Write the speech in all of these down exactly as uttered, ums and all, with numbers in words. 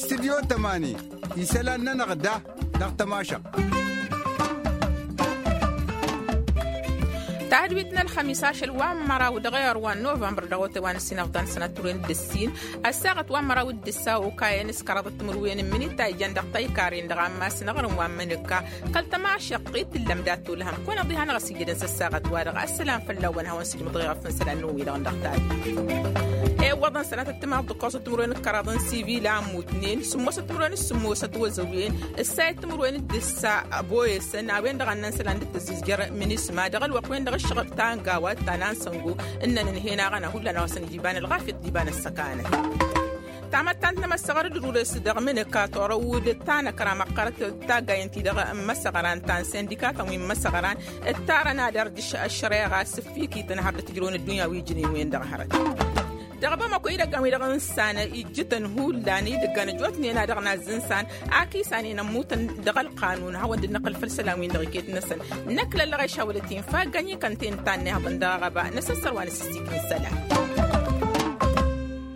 Studyo tămani isălan-nănăɣ da dăɣ-tămašăɣt. Tahădwit n-ălxămis ašăl wa n-măraw dăɣ-ewăr wa n-novămbăr dăɣ-otay wa n-ăssinăɣdan sănăt timǝrwen d-ǝssin ăssaɣăt wa n-măraw d-ǝssa okayăn s-kăraḍ timǝrwen n-minita ijăn dăɣ-tăykarren dăɣ-ammas n-aɣrǝm wa n-mănǝkka. Kăl-tămašăɣt i-tǝllăm dat-tolhăm kăwăn-ăḍihanăɣ s-ijădăn s-ăssaɣăt-wa-dăɣ ăssălam fălla-wăn hawăn-sǝjmǝḍ i-ɣărf n-isălan n-wi-dăɣ n-dăɣ-tadǝm. Iwwăḍăn sănatăt timaḍ d-ǝkkoẓăt timǝrwen d-kăraḍ n-sivil a ămmutnen sǝmmosăt timǝrwen d-sǝmmosăt wăzăwen ǝssayăt timǝrwen d-ǝssa. Boyăsăn a-wen-dăɣ a ǝnnăn isălan dd-tăzzǝzjăr minisma dăɣ-ălwăqq-wen-dăɣ ǝššăɣǝl ta n-gawa d-ta n-ansăngo. Ǝnnăn ǝnhen-aɣ ănhăr hullan a-wa săn ija iba n-ălɣafyăt d-iba n-ăssăkanăt. Tamăttant n-emăssăɣăr d-ărules dăɣ-mǝnǝka torăwǝd d-tanăkra măqqărăt d-taggayăn-ti-dăɣ n-imăssăɣăran ta n-sindikatăn wi n-imăssăɣăran d-tarăn ad-ărdǝš ăššăreɣa s-ǝffikităn har dd-tǝjrăwăn ăddunya wi ǝjrăyăn-wen-dăɣ hărăt. Dăɣ-bamăko idăggan-wi-dăɣ n-isan ijjǝtăn hullan idăggan ăjjootnen a dăɣ-nazzǝnsan. Ak isanen ămmutăn dăɣ-ălqanun hawăn-dd-năqqǝl făll-isălan-win-dăɣ iket-năsăn. Năkk lăllăɣeš hawălăt-in faggăn ikănten tannehăḍăn dăɣ-aɣăba n-asăssăr wa n-asǝssikǝn isălan.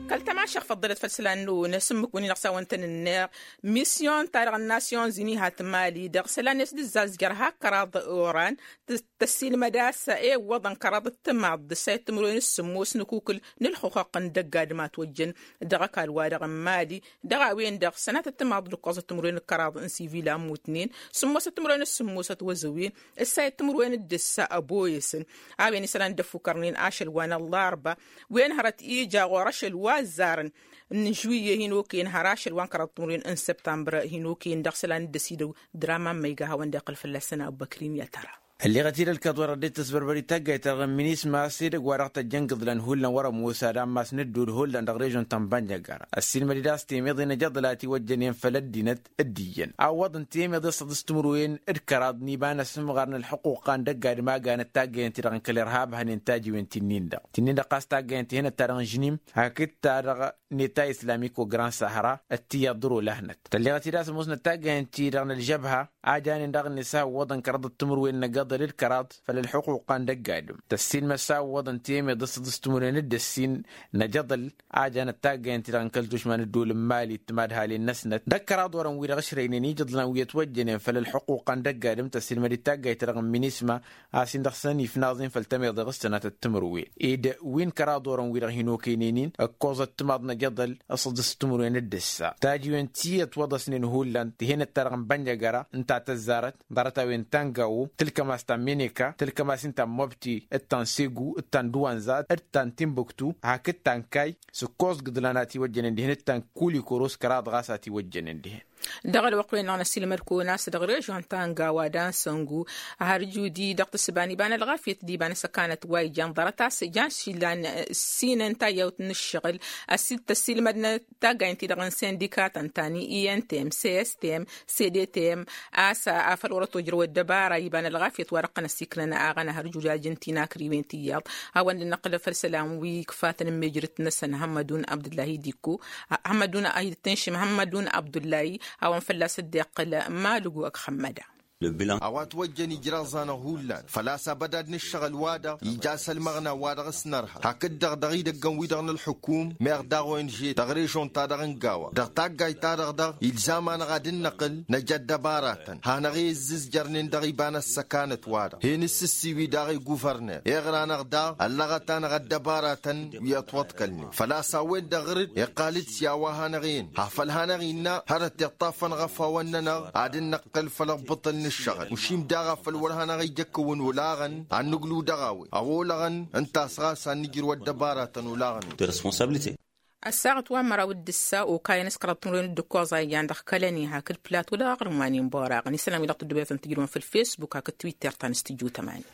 Kăl-tămašăɣt făḍḍălăt făll-isălan-năwăn asǝmmǝk-wǝn-i-dăɣ s-a-wăn tăn-ǝnneɣ. Misyon-ta-dăɣ n-nasyon zini hat mali dăɣ-isălan-net d-ǝzzazjăr hak kăraḍ oran. Tăssiilmăd a-s iwwăḍăn kăraḍ d-timaḍ d-ǝssayăt timǝrwen s-sǝmmos n-akukǝl n-ǝlxuxăqq n-dăgg-adǝm a ătwăjjăn dăɣ-ăkall-wa-dăɣ n-mali. Dăɣ-a-wen-dăɣ sănatăt timaḍ d-ǝkkoẓăt timǝrwen d-kăraḍ n-sivil a ămmutnen sǝmmosăt timǝrwen s-sǝmmosăt wăzăwen ǝssayăt timǝrwen d-ǝssa ăboyăsăn. A-wen isălan dd-ăffukărnen ašăl wa n-ăllarba wen hărăt ija ɣur-ašăl wa ăzzarăn n-žuwǝyye hin-okăyăn har ašăl wa n-kăraḍ timǝrwen n-săbtambăr hin-okăyăn dăɣ-isălan dd-ăsidăw. Dăr-aman ma iga hawăn-dd-iqqăl fălla-săn abbăkrim i-ad-tăra. Ălleɣăt-dd ălkăḍ wăr ăddinăt tăsbărbăr i-taggayt-ta-dăɣ n-minisma s-edăgg wa dăɣ-tăjjăn gǝḍlan hullan wăr-ămoos ad-ammas n-ădduul hullan dăɣ-režon ta n-bănjăgara ăssiilmăd-dd a-s temeḍe n-ajăḍăl a tiwăjjănen făll-ăddinăt. D-iyyăn a ǝwwăḍăn temeḍe s-săḍǝs timǝrwen d-kăraḍ n-iba n-asǝmɣar n-ălxuquqa n-dăgg-adǝm a ganăt taggayăn-ti-dăɣ n-kăl-irhab hănen tajiwen ti-nin-dăɣ ti-nin-dăɣ ɣas taggayăn-ti henăt-ta-dăɣ n-žnim hakd-ta-dăɣ n-eta islamiko gran sahra. Ăttiyyăḍ dăr-olăhnăt tălleɣăt-dd a-s ămoosnăt taggayăn-ti-dăɣ n-ălžăbha a janen daɣ-net a ǝwwăḍăn kăraḍăt timǝrwen n-agăḍăl d-kăraḍ făll-ălxuquqa n-dăgg-adǝm tăssiilmăd s-a ǝwwăḍăn temeḍ d-săḍǝs timǝrwen d-ǝssin n-ajăḍăl a janăt taggayăn-ti-dăɣ n-kăl-tušma n-ădduul n-mali d-timadhalen-năsnăt d-ăkkăraḍ orăn-wi-dăɣ ǝšrăynen ijăḍlan wi ătwăjjănen făll-ălxuquqa n-dăgg-adǝm tăssiilmăd-dd taggayt-ta-dăɣ n-minisma a-s-in-dăɣ săn ifnaẓ-in făll-temeḍe ɣǝs-tănatăt timǝrwen ed wi n-kăraḍ orăn-wi-dăɣ hin-okăynen-in ǝkkoẓăt timaḍ n-ajăḍăl s-săḍǝs timǝrwen d-ǝssa tajiwen ti ătwăḍăsnen hullan tihenăt-ta-dăɣ n-bănjăgăra ǝnta tăzzarăt ḍarăt-a-wen ta n-gawo tǝlkăm-as ta n-meneka tǝlkăm-as-in ta n-mobti d-ta n-segu d-ta n-duwanza d-ta n-timbuktu hakd ta n-kay s-ǝkkoẓ gǝḍlan a tiwăjjănen dihen d-ta n-kulikoros kăraḍ ɣas a tiwăjjănen dihen. Dăɣ-ălwăqq-wen-dăɣ năsilmăd-kăwăn a-s dăɣ-režon ta n-gawa d-ansăngu har judi dăɣ-tǝssǝba n-iba n-ălɣafyăt d-iba n-asăkanăt wa ijan ḍarăt a-s jan s-ilan ǝssinăn tayyawt n-ǝššăɣǝl. Ăssiilmădnăt taggaynt-ti-dăɣ n-sindikatăn ta n-i n t m s s t m s d t m a-s afăl wăr-ătojrăw ăddăbara iba n-ălɣafyăt wa dăɣ-tăn-ăssiiknăn aɣăna har judi ajăn-t-in akrǝywen tiyyăḍ. Hawăn-dd-năqqǝl făll-isălan wi ǝkfatăn n-mejrăt-năsăn hămmădun abdullahi dikko hămmădun a hi-dd-tǝnšǝm hămmădun abdullahi. Hawăn fălla-s dd-iqqǝl malǝgu ăgg xămmăda. A-wa ătwăjjăn ijraẓ-anăɣ hullan făl-a-s abădad n-ǝššăɣǝl-wa-dăɣ ija s-ălmăɣna wa dăɣ-s nărha hakd-dăɣ dăɣ-idăggăn-wi-dăɣ n-ălxukum meɣ daɣ o n ž dăɣ-režon-ta-dăɣ n-gawa dăɣ-taggayt-ta-dăɣ dăɣ-ilzam-anăɣ ad-dd-năqqǝl năj ăddăbaratăn hanăɣ-e ǝzzǝzjărnen dăɣ-iba n-ăssăkanăt-wa-dăɣ hen-ǝssǝssiwi daɣ i-guvărner iɣra-năɣ daɣ ăllăɣăt-anăɣ ăddăbaratăn wi ătwăḍkălnen făl-a-s a-wen-dăɣ ɣǝr-dd iqqal-dd s-i a-wa hanăɣ-en ha făl hanăɣ-innă hărăt iṭṭafăn ɣăf-awăn-nănăɣ ad-dd-năqqǝl făll-abbǝṭǝl n-ǝššăɣǝl ušim daɣ a făl wăr hanăɣ-ija ǝkkǝwăn olaɣăn ad-nǝglu dăɣ-a-wen a olăɣăn ǝnta a-s ɣas ad-nǝjrǝw ăddăbaratăn olaɣăn-wi. Ăssaɣăt wa n-măraw d-ǝssa okayăn s-kăraḍ timǝrwen d-ǝkkoẓ a ijan dăɣ-kălănen hakd plato dăɣ-aɣrǝm wa n-inboraɣăn isălan-wi-dăɣ tǝddǝwăyătăn tǝjrǝwăn făll-fesbuk hakd twitter ta n-studyo tămani.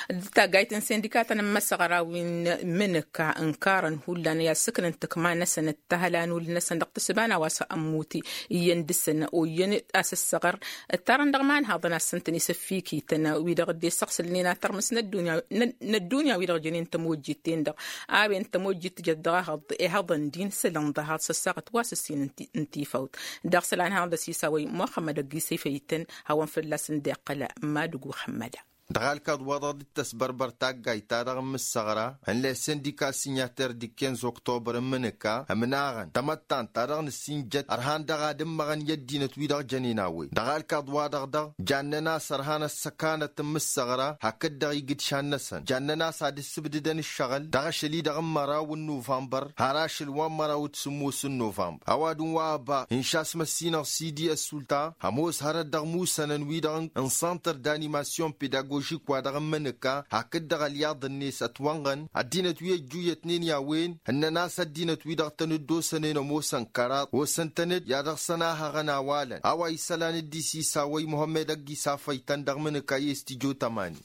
D-taggayt n-sindikatăn n-imăsăɣra wi n-imǝnǝka ǝnkarăn hullan i-ad-sǝknăn tǝkma-năsăn d-tahălanul-năsăn dăɣ-tǝssǝba n-a-wa s-ămmut iyyăn dăɣ-săn oyyăn asǝssăɣăr ǝttarăn dăɣ-imanhaḍăn ad-săn-tăn-isăffikităn wi-dăɣ dd-isăɣsǝlnen ad-tărmǝs n-ăddunya wi-dăɣ jănen tămojjit-ten-dăɣ. A-wen tămojjit tǝjăt dăɣ-ehăḍ ehăḍăn din sălăn ḍahaḍ s-ăssaɣăt wa s-ǝssin n-tifawt dăɣ-isălan hanăɣ-dd-ăsisawăy muxămmăd ăgg-isăyfăytăn hawăn-fălla-săn dd-iqqăl. Madǝgu xămmăda. Dăɣ-alkaḍ-wa-dăɣ dd-tăsbărbăr taggayt-ta-dăɣ n-imǝssăɣra n-lesendika sinyater d-ikkenz oktobăr n-imǝnǝka ǝmnaɣăn tamăttant-ta-dăɣ n-ǝssinjăt ărhan dăɣ-ad-ǝmmăɣăn i-ăddinăt-wi-dăɣ jănen a-wen dăɣ-alkaḍ-wa-dăɣ dăɣ jannen-as ărhan ăssăkanăt n-imǝssăɣra hakd-dăɣ igǝdšan-năsăn jannen-as ad-ǝssǝbdǝdăn ǝššăɣǝl dăɣ-ašăl-i-dăɣ n-măraw n-nuvănbăr har ašăl wa n-măraw d-sǝmmos n-nuvănbăr ăwadǝm wa ăba inša s-măssinăɣ sidi ăssulta ămoos hărăt dăɣ-imusănăn-wi-dăɣ n-santăr d-animasyon pedagožik wa dăɣ-ǝmmǝnǝka hakd-dăɣ ălyaḍ-net ătwănɣăn ăddinăt wi ăjjuyyătnen i-a-wen ǝnnăn a-s ăddinăt-wi-dăɣ tăn-dd-osănen ămoosăn kăraḍ osăn-tăn-dd i-ad-dăɣ-săn a hăɣăn awalăn a-wa isălan dd-isisawăy muhămmed ăgg-isafăy-tăn dăɣ-imǝnǝka i-s tijot ămani.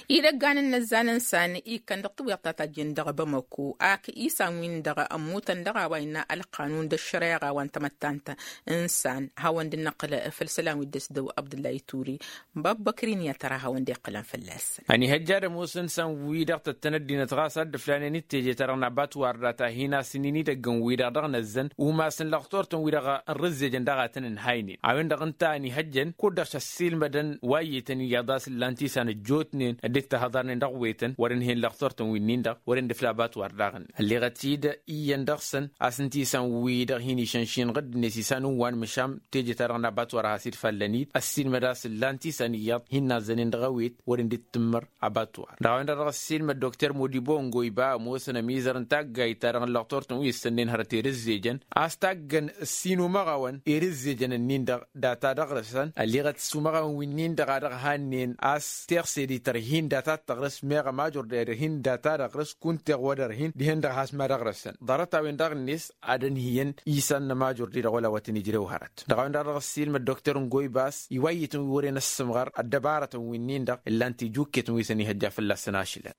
Idăggan n-inăzzan n-isan ikkăn dăɣ-tǝwweḍt ta tajjen dăɣ-bamăko ak isan-win-dăɣ ămmutăn dăɣ-a-wa innă ălqanun d-ăššăreɣa wa n-tamăttant n-isan hawăn-dd-năqqǝl făll-isălan wi dd-ăsdăw abdǝllay ture. Băbbăkrin i-ad-tăra hawăn-dd-iqqǝlăn fălla-săn. Ănihăjja ad-ămoosăn isan-wi-dăɣ tăttăn ăddinăt ɣas ad-dd-ǝflanen d-teje-ta-dăɣ n-abatwar data hin-asǝnnin idăgg n-wi-dăɣ dăɣ-năzzăn umasăn lăxtor-tăn wi-dăɣ n-rǝzzejăn daɣ a tăn-ǝnhaynen a-wen-dăɣ ǝnta ănihăjjăn kud-dăɣ s-ăssiilmădăn wa iyyătăn iyyăḍ a-s ǝllan tisan ăjjootnen dd-ittăhăḍarnen dăɣ-wetăn wăr-ǝnhǝyăn lăxtor-tăn wi-nin-dăɣ wăr-ǝndǝfla abatwar daɣ-ǝnnin ălleɣăt-dd iyyăn dăɣ-săn a-s ǝnta isan-wi-dăɣ hin-išănšinăɣ dd-net isan n-wa n-măšan teje-ta-dăɣ n-abatwar a has-dd-fallăn-dd ăssiilmăd a-s ǝllan tisan iyyăḍ hin-nazzănen dăɣ-ewet wăren dd-tǝmmăr abatwar dăɣ-a-wen-dăɣ dăɣ-ăssiilmăd dokter modibo n-goyba ămoosăn ămizăr n-taggayt-ta-dăɣ n-lăxtor-tăn wi ǝssănnen hărăt erǝzzejăn a-s taggăn ǝssin umăɣawăn erǝzzejăn-ǝnnin-dăɣ data dăɣ-rǝsăn ălleɣăt s-umăɣawăn wi-nin-dăɣ a dăɣ-hannen a-s teɣse d-itărhin data d-tăɣrǝs meɣ ămajor d-erhin data dăɣ-rǝs kunteɣ wăr-ărhin dihen-dăɣ has-ma dăɣ-rǝsăn ḍarăt-a-wen daɣ-net ad-ănhǝyăn isan n-ămajor-di-dăɣ wăla wăr tăn-ijrew hărăt dăɣ-a-wen daɣ dăɣ-ăssiilmăd dokter n-goybas iwayǝtăn wi wăren ăssǝmɣăr ăddăbarătăn wi-nin-dăɣ ǝllan-t ijukket n-wi s-ănihăjja fălla-săn ašǝlăn.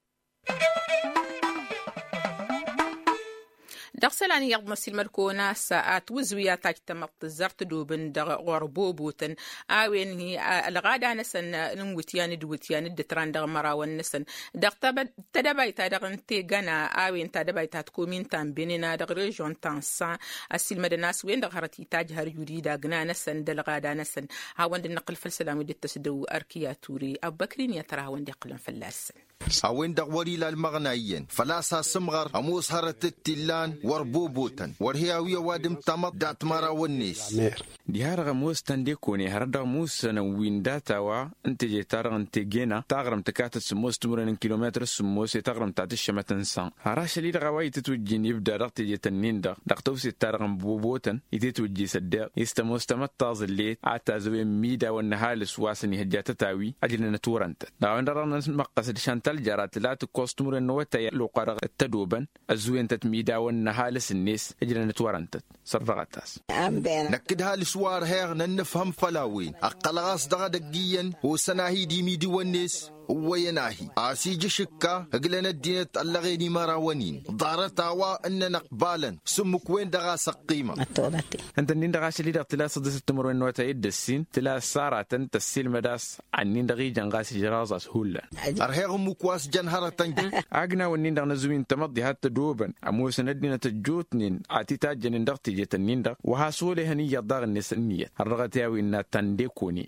Dăɣ-isălan iyyăḍ n-ăssiilmăd-kăwăn a-s atwǝzwi a tajj tamăḍt tǝzzar tădobǝn dăɣ-ɣur-bobotăn a-wen hi-ălɣada-năsăn n-iwǝtyan d-iwǝtyan d-ǝtran dăɣ-imărawăn-năsăn dăɣ-tedăbayt-ta-dăɣ n-tegăna a-wen tedăbayt ta tǝkomin ta n-benena dăɣ-režion ta n-san ăssiilmădăn a-s wen-dăɣ hărăt itajj har judid agna-năsăn d-ălɣada-năsăn. Hawăn-dd-năqqǝl făll-isălan wi dd-tăsdăw ărkiya ture ăbbăkrin i-ad-tăra hawăn-dd-iqqǝlăn fălla-săn. A-wen-dăɣ wăr-ila ălmăɣna iyyăn făl-a-s asǝmɣăr ămoos hărăt d-t-illan wăr bobotăn wăr he-awi ăwadǝm tamăḍt dat-imărawăn-net. Diha-dăɣ ămoos tăndekone hărăt dăɣ-musănăn wi n-data wa n-teje-ta-dăɣ n-tegena taɣrǝmt tǝkatăt sǝmmos timǝrwen n-kilometăr sǝmmos i-taɣrǝmt ta tǝššămăt n-san har ašăl-i-dăɣ a-wa itǝtwǝjjin ibda dăɣ-tejet-ǝnnin-dăɣ dăɣ-tawset-ta-dăɣ n-bobotăn itetwǝjji s-ăddeɣ i-s tămoos tamăḍt taẓǝllet a tazăwen midawăn n-ăhalǝs wa s-ănihăjja tătawi ăjrănăt wăr-ǝntăt dăɣ-a-wen-dăɣ dăɣ-nămăqqăs d-šantal jăra tǝla tǝkkoẓ timǝrwen n-awătay ălluqqa-dăɣ t-ădobăn ăzzuwen-tăt midawăn n-ăhalǝs-net ǝjrănăt wăr-ǝntăt. Sărdăɣăt-as. Năkk d-halǝs wa ărheɣ n-ănnǝfhăm făll-a-wen ăqqălăɣ-as dăɣ-edăgg iyyăn osăn-ahi d-imidiwăn-net ǝwwăyăn-ahi a-s ija ašǝkka ǝglăn ăddinăt ăllăɣen imărawăn-in ḍarăt a-wa ǝnnăn ăqbalăn s-ǝmmǝk-wen-dăɣ a-s ăqqimăɣ. Ǝnta-nin-dăɣ ašăl-i-dăɣ tǝla săḍisăt timǝrwen n-awătay d-ǝssin tǝla ăssaratăn tăssiilmăd a-s ănnin-dăɣ ijăn ɣas ijraẓ a-s hullan. Ărheɣ ǝmmǝk wa s-jăn hărătăn. Agnaw-nin-dăɣ n-ăzǝwin tamăḍt diha t-ădobăn ămoosăn ăddinăt ăjjootnen a t-itajjănen dăɣ-tejet-nin-dăɣ wa has-olehăn iyyăḍ daɣ-net ǝnniyăt har dăɣ-t i-a-wen n-ad-tăn-dekone.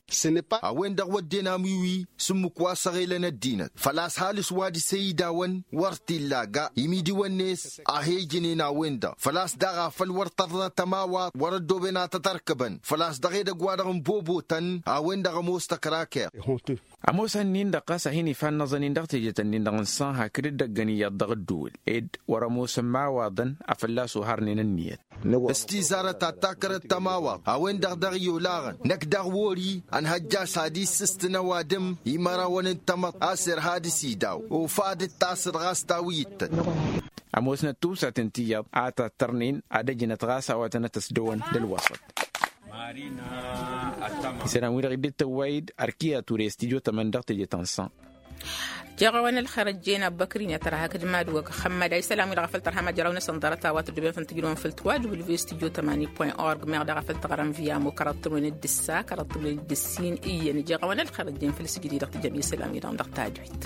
A-wen-dăɣ wădden amiwi s-ǝmmǝk wa s-ăɣelăn ăddinăt făl-a-s halǝs wa dăɣ-se idawăn wăr t-illa ga imidiwăn-net a he-ǝjnen a-wen-dăɣ făl-a-s daɣ a făl wăr tărḍa tămawaḍt wăr-ăddoben ad-tăt-ărkăbăn făl-a-s dăɣ-edăgg-wa-dăɣ n-bobotăn a-wen-dăɣ ămoos tăkrakeḍ. Ămoos ănnin-dăɣ ɣas a hin-ifannăẓăn-in dăɣ-tejet-nin-dăɣ n-san hakd dd-ăggăn iyyăḍ dăɣ-ǝddǝwǝl ed wăr-ămoosăn imawaḍăn a fălla-s oharnen ǝnniyăt. S-tizarăt ta takrăt tămawaḍt a-wen-dăɣ dăɣ-i olaɣăn năkk daɣ wori ănhăjja s-ad-issǝstǝn ăwadǝm imărawăn n-tamăḍt a-s irha dăɣ-s idaw ofad d-tasăḍ ɣas tawǝy ǝttăt. Ămoosnăt tiwsaten ti iyyăḍ a tattărnen ad-ăjnăt ɣas a-wa tănăt-ăsdăwăn d-ălwăṣăt. Isălan-wi-dăɣ dd-tăwway-dd ărkiya ture s-tijo tămăn dăɣ-teje ta n-san. Jeɣ-awăn ălxer ăjjeen abbăkrin i-ad-tăra hakd mad-wăgg xămmăda isălan-wi-dăɣ a făl tărhăm ajăraw-năsăn ḍarăt a-wa tăddobem făll-tǝjrǝwăn făll-twa w v s tijo tămani point org meɣ daɣ a făl tăɣrăm via mokărăt tǝmwen d-ǝssa kărăt tǝmwen d-ǝssin iyyăn jeɣ-awăn ălxer ăjjeen făll-sǝjdǝy dăɣ-tǝjăm isălan-wi-dăɣ dăɣ-tajwit.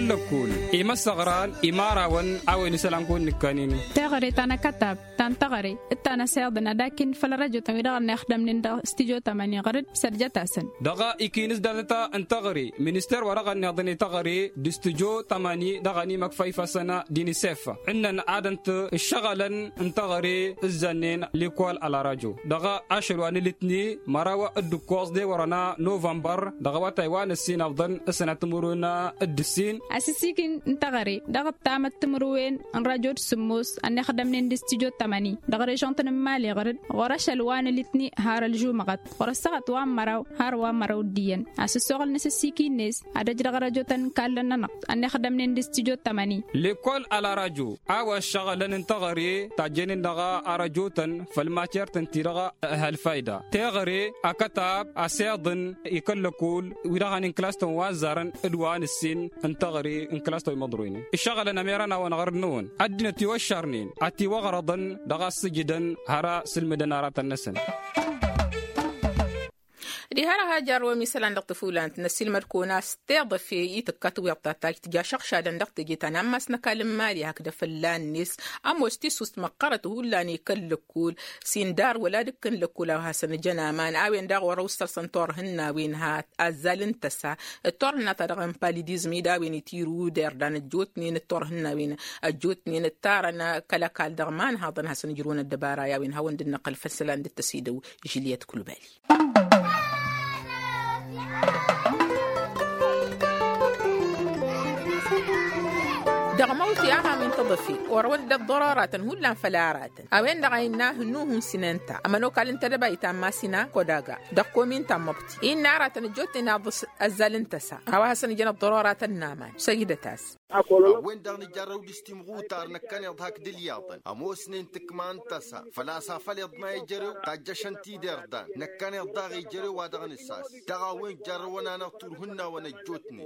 Lăkkul imăssăɣran imărawăn a-wen isălan kăwăn-nǝkkănen. Teɣăre ta n-akătab ta n-teɣăre d-ta n-asiḍăn ad-akin făll-răjotăn wi-dăɣ ănnixdămnen dăɣ-studyo tamani ɣăr-dd sărjăt-asăn. Dăɣ-ikinǝs datăt n-teɣăre minister wa dăɣ-ănniḍăn i-teɣăre d-studyo tamani dăɣ-ănimăkfa ifasăn d-inisef ǝnnăn ad-ănt ǝššăɣǝlăn n-teɣăre ǝzzănnen likol ălarajo dăɣ-ašăl wa n-ilǝtni măraw d-ǝkkoẓ d-ewărăn a novănbăr dăɣ-awătay wa n-ǝssin ăbḍăn s-sănăt timǝrwen d-ǝssin. Asǝssikǝn n-teɣăre dăɣ-ăttamăt timǝrwen n-rajo d-sǝmmos ănnixdămnen d-studyo tamani dăɣ-režăn-tăn n-imali ɣăr-dd ɣur-ašăl wa n-ilǝtni har ălžumăɣăt ɣur-ăssaɣăt wa n-măraw har wa n-măraw d-iyyăn asǝssoɣăl n-asǝssikǝn-net ad-ăj dăɣ-răjotăn n-kallăn-nănăɣ ănnixdămnen d-studyo tamani. Lekol ălarajo a-wa ǝššăɣǝlăn n-teɣăre tajjănen dăɣ-arăjotăn făll-mater-tăn-ti-dăɣ ăhăl fayda teɣăre akătab asiḍăn ikăl-lăkul wi-dăɣ han-inklas-tăn wa ăzzarăn d-wa n-ǝssin n-teɣăre n-klas-tăn wi măḍroynen ǝššăɣǝlăn ămerăn-awăn ɣăr-năwăn ăddinăt iwăššărnen ătiwăɣrăḍăn dăɣ-a ǝssǝjǝdăn har a sǝlmǝdăn aratăn-năsăn. Diha-dăɣ a jarrăwăm isălan dăɣ-tăfulant n-ăssiilmăd-kăwăn a-s tiḍăfe i-tǝkka tiwiḍt ta tajj tǝja šăɣšadăn dăɣ-teje ta n-ammas n-ăkall n-imali hakd afălla-net ămoos tisust măqqărăt hullan i-kăl-lăkkul s-indar wăla d-ǝkkǝn lăkkul a-wa hasăn-jăn aman a-wen daɣ wăr-ăwsălsăn turhǝnna-wen ha azzal n-tăsa d-turhǝnna-ta-dăɣ n-palidizm-i d-a-wen itirǝw d-irdan ăjjootnen d-turhǝnna-wen ăjjootnen ǝttarăn kăl-ăkall dăɣ-imanhaḍăn hasăn-ǝjrǝwăn ăddăbara i-a-wen hawăn-dd-năqqăl făll-isălan dd-tăsidăw žiliyăt kulbali. Dăɣ-măwt i-aman wi n-tăḍăfe orăwăn-dd ăḍḍărăratăn hullan făll-aratăn a-wen-dăɣ a innă hǝnnuhun sinenta ămănokal n-tedăbayt ta n-masina kodaga dăɣ-komin ta n-măbti innă aratăn ăjjootnen aḍǝs ăzzal n-tăsa a-wa hasăn-ijăn ăḍḍărăratăn n-aman săjdăt-as. A-wen-dăɣ nǝjarrăw d-istimɣutar năkkăneḍ hakd ǝlyaḍăn ămoosnen tǝkma n-tăsa făl-a-s afăl iḍna ejărew tajjăšăn-t-dd irdan năkkăneḍ daɣ ejărew wa dăɣ-nǝsas dăɣ-a-wen jarrăwăn-anăɣ turhǝn n-a-wăn ăjjootnen.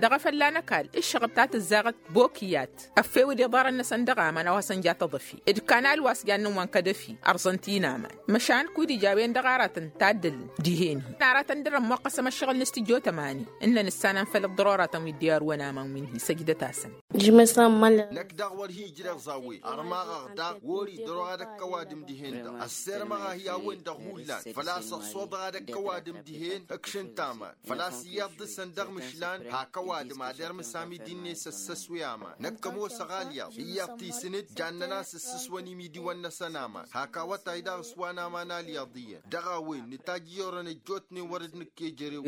Dăɣ-efălla n-ăkall ǝššăɣăb ta tǝzzaɣăt bokiyat ăffew d-iḍarăn-năsăn dăɣ-aman a-wa săn ja tăḍăfi d-kanal wa s-jannăn wa n-kădăfi ărẓăn-t-in aman măšan kud-ija a-wen-dăɣ aratăn taddǝlăn dihen-hi aratăn dăr-ămmoqqăsăm ăššăɣǝl n-astijjo tămani ǝnnăn ǝssanăn făll-ăḍḍărăratăn wi dd-iarǝwăn aman wi n-hi săjdăt-asăn. Năkk daɣ wăr hi-ǝjreɣ zawe ărmaɣăɣ daɣ wăr-i dăr-oɣ ad-ăkk ăwadǝm dihen-dăɣ ăssirmăɣ-ahi a-wen-dăɣ hullan făl-a-s ăṣṣoḍăɣ ad-ăkk ăwadǝm dihen ǝkšǝn taman făl-a-s iyyăḍ dăɣ-săn dăɣ-mǝšlan hak ăwadǝm ad-irmǝs amidi-net ăssăswe aman năkk ămoosăɣ alyaḍ iyyăḍ tisǝnǝd jannăn-as ǝssǝswăn imidiwăn-năsăn aman hak awătay daɣ s-wa n-aman alyaḍ iyyăn dăɣ-a-wen nǝtajj i-orăn ăjjootnen wăr-dd-nǝkk ejărew.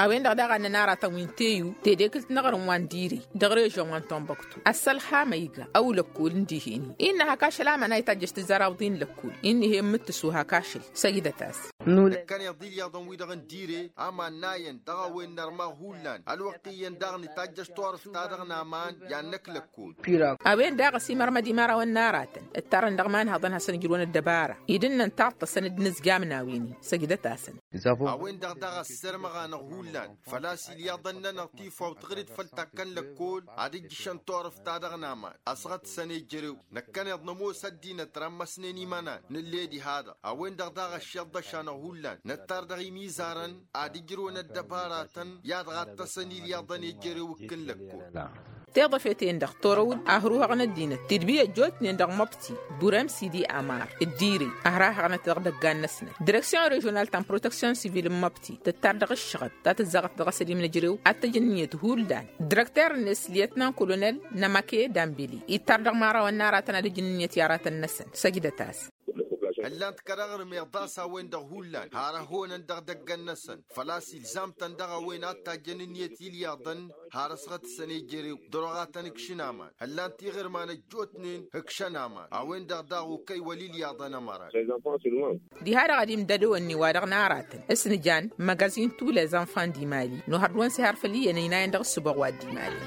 A-wen-dăɣ daɣ a ǝnnăn aratăn wi n-teyu tedekǝlt n-aɣrǝm wa n-dire dăɣ-režăn wa n-tunbăktu ăssălxam a iga ăw lăkkol n-dihen-i innă hak ašăl aman a itajjăš tǝzzar awǝḍin lăkkol innă ihen mǝttǝsu hak ašăl săjdăt-as. Năkkăneḍ ilyaḍăn-wi-dăɣ n-dire aman n-ayăn dăɣ-a-wen nărmaɣ hullan ălwăqq iyyăn daɣ nǝtajjăš turǝft-ta-dăɣ n-aman i-ad-năkk lăkkol. A-wen daɣ ăsimărmăd imărawăn n-aratăn ǝttarăn dăɣ-imanhăḍăn hasăn-ǝjrǝwăn ăddăbara idǝnnăn taḍt-tăsăn d-inǝzjam n-a-wen-i săjdăt-asăn. A-wen-dăɣ daɣ ăssărmăɣ-anăɣ hullan făl-a-s ilyaḍăn-nănăɣ tifawt ɣǝr-dd făll-takkăn lăkkol ad-ǝjjǝšăn turǝft-ta-dăɣ n-aman ăsɣăt-săn i-jărew năkkăneḍ nămoos ăddinăt rămmăsnen imănan nǝlle diha-dăɣ a-wen-dăɣ daɣ ăššiḍăš-anăɣ hullan năttar dăɣ-imizarăn ad-ǝjrǝwăn ăddăbaratăn i-ad-ɣattăsăn ilyaḍăn i-jărew ǝkkǝn lăkkol. Tiḍăfe-ten-dăɣ torăw-dd ahruhăɣ n-ăddinăt tidbi ăjjootnen dăɣ-măbti burem sidi amar d-dire ăhrahăɣnăt dăɣ-idăggan-năsnăt direksyon režional ta n-proteksyon sivil n-măbti tǝttar dăɣ-ǝššăɣăb ta tǝzzaɣăt dăɣ-asăl imnăjrew ad-tăj ǝnniyăt hullan direkter-net lyetnan kolonel nămăke dambili ittar dăɣ-imărawăn n-aratăn ad-ǝj ǝnniyăt i-aratăn-năsăn săjdăt-as. Ǝllan-t kăraɣrǝm iḍas a-wen-dăɣ hullan har ăhonăn dăɣ-idăggan-năsăn făl-a-s ilzam-tăn dăɣ-a-wen ad-tajjăn ǝnniyăt ilyaḍăn har ăsɣăt-săn i-jărew dăr-oɣ ad-tăn-ǝkšǝn aman ǝllan-t iɣǝrman ăjjootnen ǝkšăn aman a-wen-dăɣ daɣ okăy wăla ilyaḍăn ămăran. Diha-dăɣ ad-imdădăwăn-ni wa dăɣ-naratăn s-nǝjan măgazin tulezănfan d-imali n-ohăr d-wăn-s ihar făll-iyyăn ăynayăn dăɣ-ǝssǝboɣ wa dd-imali.